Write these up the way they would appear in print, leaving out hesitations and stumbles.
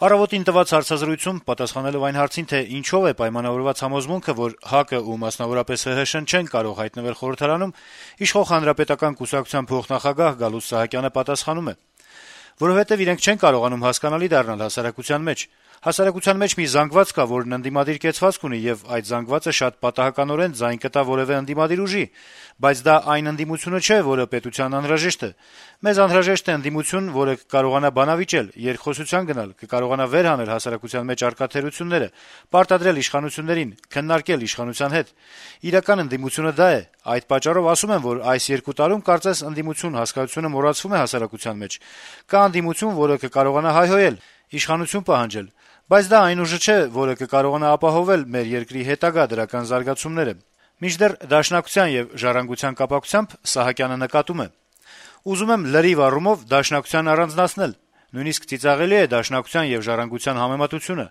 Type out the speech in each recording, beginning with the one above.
«Առավոտ»-ին տված հարցազրույցում պատասխանելով այն հարցին, թե ինչով է պայմանավորված համոզմունքը, որ ՀԱԿ-ը ու մասնավորապես ՀՀՇ-ն չեն կարող հայտնվել խորհրդարանում, իշխող Հանրապետական կուսակցության փոխնախագահ Գալուստ Սահակյանը պատասխանում է. - «Որովհետեւ իրենք չեն կարողանում հասկանալի դառնալ հասարակության մեջ։ Հասարակության մեջ մի զանգված կա, որն ընդդիմադիր կեցվածք ունի, եւ այդ զանգվածը շատ պատահականորեն ձայն կտա որեւէ ընդդիմադիր ուժի, բայց դա այն ընդդիմությունը չէ, որը պետությանն անհրաժեշտ է։ Մեզ անհրաժեշտ է ընդդիմություն, որը կկարողանա բանավիճել, երկխոսության գնալ, կկարողանա վեր հանել հասարակության մեջ առկա թերությունները, պարտադրել իշխանություններին, քննարկել իշխանության հետ։ Իրական ընդդիմությունը դա է։ Այդ պատճառով ասում եմ, որ այս 2 տարում կարծես ընդդիմություն հասկացությունը մոռացվում է հասարակության մեջ։ Կա ընդդիմություն, որը կկարողանա հայհոյել, իշխանություն պահանջել, բայց դա այն ուժը չէ, որը կկարողանա ապահովել մեր երկրի հետագա դրական զարգացումները»։ Մինչդեռ Դաշնակցության եւ Ժառանգության կապակցությամբ Սահակյանը նկատում է. - «Ուզում եմ լրիվ առումով Դաշնակցությանն առանձնացնել: Նույնիսկ ծիծաղելի է Դաշնակցության եւ Ժառանգության համեմատությունը: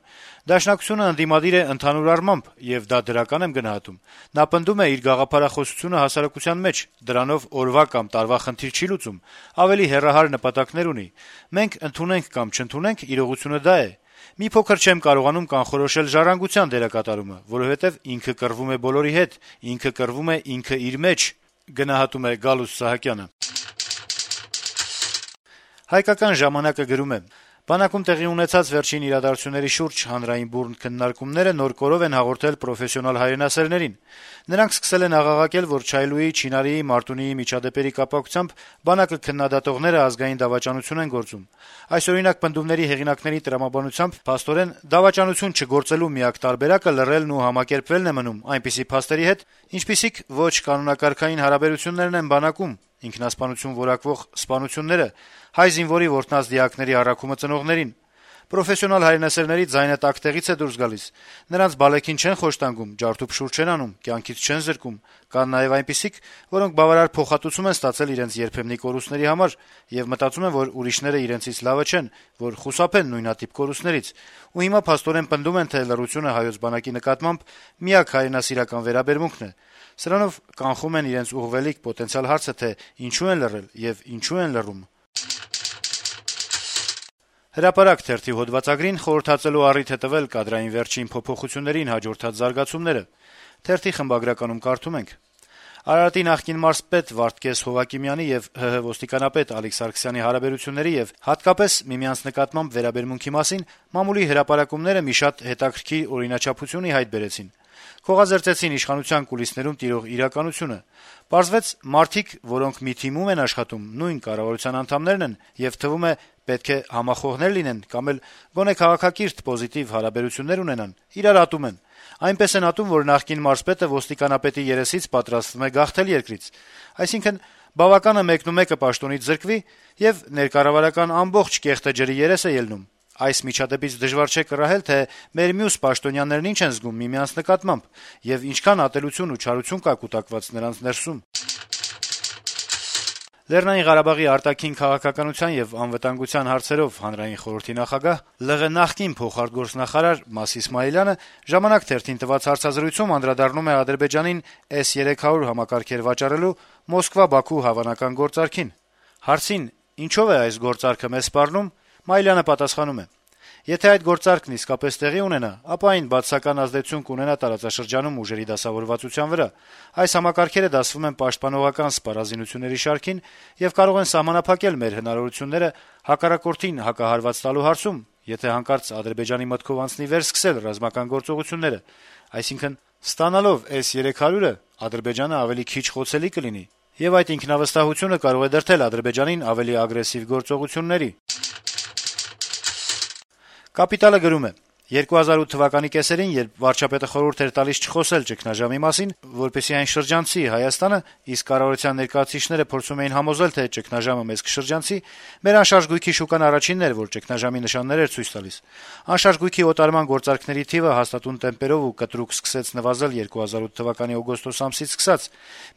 Դաշնակցությունը ընդդիմադիր է ընդհանուր առմամբ, եւ դա դրական եմ գնահատում: Նա պնդում է իր գաղափարախոսությունը հասարակության մեջ, դրանով օրվա կամ տարվա խնդիր չի լուծում, ավելի հեռահար նպատակներ ունի: Մենք ընդունենք կամ չընդունենք, իրողությունը դա է: Մի փոքր չեմ կարողանում կանխորոշել Ժառանգության դերակատարումը, որովհետեւ ինքը կռվում է բոլորի հետ, ինքը կռվում է ինքը իր մեջ»: «Հայկական ժամանակ»-ը գրում է. - «Բանակում տեղի ունեցած վերջին իրադարձությունների շուրջ հանրային բուռն քննարկումները նոր կորով են հաղորդել պրոֆեսիոնալ հայրենասերներին: Նրանք սկսել են աղաղակել, որ Չայլուի, Չինարիի, Մարտունիի միջադեպերի կապակցությամբ բանակը քննադատողները ազգային դավաճանություն են գործում: Այսօրինակ պնդումների հեղինակների տրամաբանությամբ, փաստորեն, դավաճանություն չգործելու միակ տարբերակը լռելն ու համակերպվելն է մնում այնպիսի փաստերի հետ, ինչպիսիք ոչ կանոնակարգային հարաբերություններն են բանակում, ինքնասպանություն որակվող սպանությունները, հայ զինվորի որտնած դիակների առաքումը ծնողներին: Պրոֆեսիոնալ հայրենասերների ձայնը տաք տեղից է դուրս գալիս: Նրանց բալեքին չեն խոշտանգում, ջարդուփշուր չեն անում, կյանքից չեն զրկում: Կան նաեւ այնպիսիք, որոնք բավարար փոխհատուցում են ստացել իրենց երբեմնի կորուստների համար եւ մտածում են, որ ուրիշները իրենցից լավը չեն, որ խուսափեն նույնատիպ կորուստներից: Ու հիմա փաստորեն պնդում են, թե լռությունը հայոց բանակի նկատմամբ միակ հայրենասիրական վերաբերմունքն է: Սրանով կանխում են իրենց ուղղվելիք պոտենցիալ հարցը, թե ինչու են լռել եւ ինչու են լռում»: «Հրապարակ» թերթի հոդվածագրին խորհրդածելու առիթ է տվել կադրային վերջին փոփոխություններին հաջորդած զարգացումները: Թերթի խմբագրականում կարդում ենք. - «Արարատի նախկին մարզպետ Վարդգես Հովակիմյանի եւ ՀՀ ոստիկանապետ Ալիկ Սարգսյանի հարաբերությունների եւ հատկապես միմյանց նկատմամբ վերաբերմունքի մասին մամուլի հրապարակումները մի շատ հետաքրքիր օրինաչափություն ի հայտ բերեցին: Քողազերծեցին իշխանության կուլիսներում տիրող իրականությունը: Պարզվեց, մարդիկ, որոնք մի թիմում են աշխատում, նույն կառավարության անդամներն են եւ, թվում է, պետք է համախոհներ լինեն կամ էլ գոնե քաղաքակիրթ պոզիտիվ հարաբերություններ ունենան, իրար ատում են: Այնպես են ատում, որ նախկին մարզպետը ոստիկանապետի երեսից պատրաստվում է գաղթել երկրից: Այսինքն, բավականը մեկնումեկը պաշտոնից զրկվի, եւ ներկառավարական ամբողջ կեղտը ջրի երես է ելնում: Այս միջադեպից դժվար չէ կռահել, թե մեր մյուս պաշտոնյաներն ինչ են զգում միմյանց նկատմամբ եւ ինչքան ատելություն ու չարություն կա կուտակված նրանց ներսում»: Լեռնային Ղարաբաղի արտաքին քաղաքականության եւ անվտանգության հարցերով հանրային խորհրդի նախագահ, ԼՂ նախկին փոխարտգործնախարար Մաս Իսմաիլյանը «Ժամանակ» թերթին տված հարցազրույցում անդրադառնում է Ադրբեջանին S-300 համակարգեր վաճառելու Մոսկվա-Բաքու հավանական գործարքին: Հարցին, ինչով է այս գործարքը մեզ սպառնում, Մայիլյանը պատասխանում է. - «Եթե այդ գործարքն իսկապես տեղի ունենա, ապա այն բացասական ազդեցություն կունենա տարածաշրջանում ուժերի դասավորվածության վրա: Այս համակարգերը դասվում են պաշտպանողական սպառազինությունների շարքին եւ կարող են սահմանափակել մեր հնարավորությունները հակառակորդին հակահարված տալու հարցում, եթե հանկարծ Ադրբեջանի մտքով անցնի վերսկսել ռազմական գործողությունները: Այսինքն, ստանալով S-300-ը, Ադրբեջանը ավելի քիչ խոցելի կլինի, եւ այդ ինքնավստահությունը կարող է դրդել Ադրբեջանին ավելի ագրեսիվ գործողությունների»: «Կապիտալ»-ը գրում է. - «2008 թվականի կեսերին, երբ վարչապետը խորհուրդ էր տալիս չխոսել ճգնաժամի մասին, որպեսզի այն շրջանցի Հայաստանը, իսկ կառավարության ներկայացուցիչները փորձում էին համոզել, թե ճգնաժամը մեզ կշրջանցի, մեր անշարժ գույքի շուկան առաջինն էր, որ ճգնաժամի նշաններ էր ցույց տալիս: Անշարժ գույքի օտարման գործարքների թիվը հաստատուն տեմպերով ու կտրուկ սկսեց նվազել 2008 թվականի օգոստոս ամսից սկսած: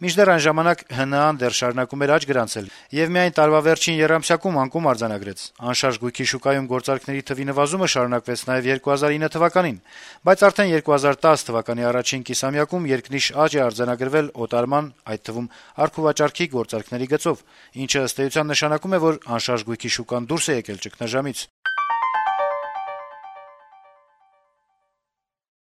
Մինչդեռ այն ժամանակ ՀՆԱ-ն դեռ շարունակում էր աճ գրանցել եւ միայն տարվա վերջին եռամսյակում անկում արձանագրեց: Անշարժ գույքի շուկայում գործարքների թվի նվազումը շարունակվեց նաեւ 2009 թվականին, բայց արդեն 2010 թվականի առաջին կիսամյակում երկնիշ աճ է արձանագրվել օտարման, այդ թվում առքուվաճառքի գործարքների գծով, ինչը ըստ էության նշանակում է, որ անշարժ գույքի շուկան դուրս է եկել ճգնաժամից»: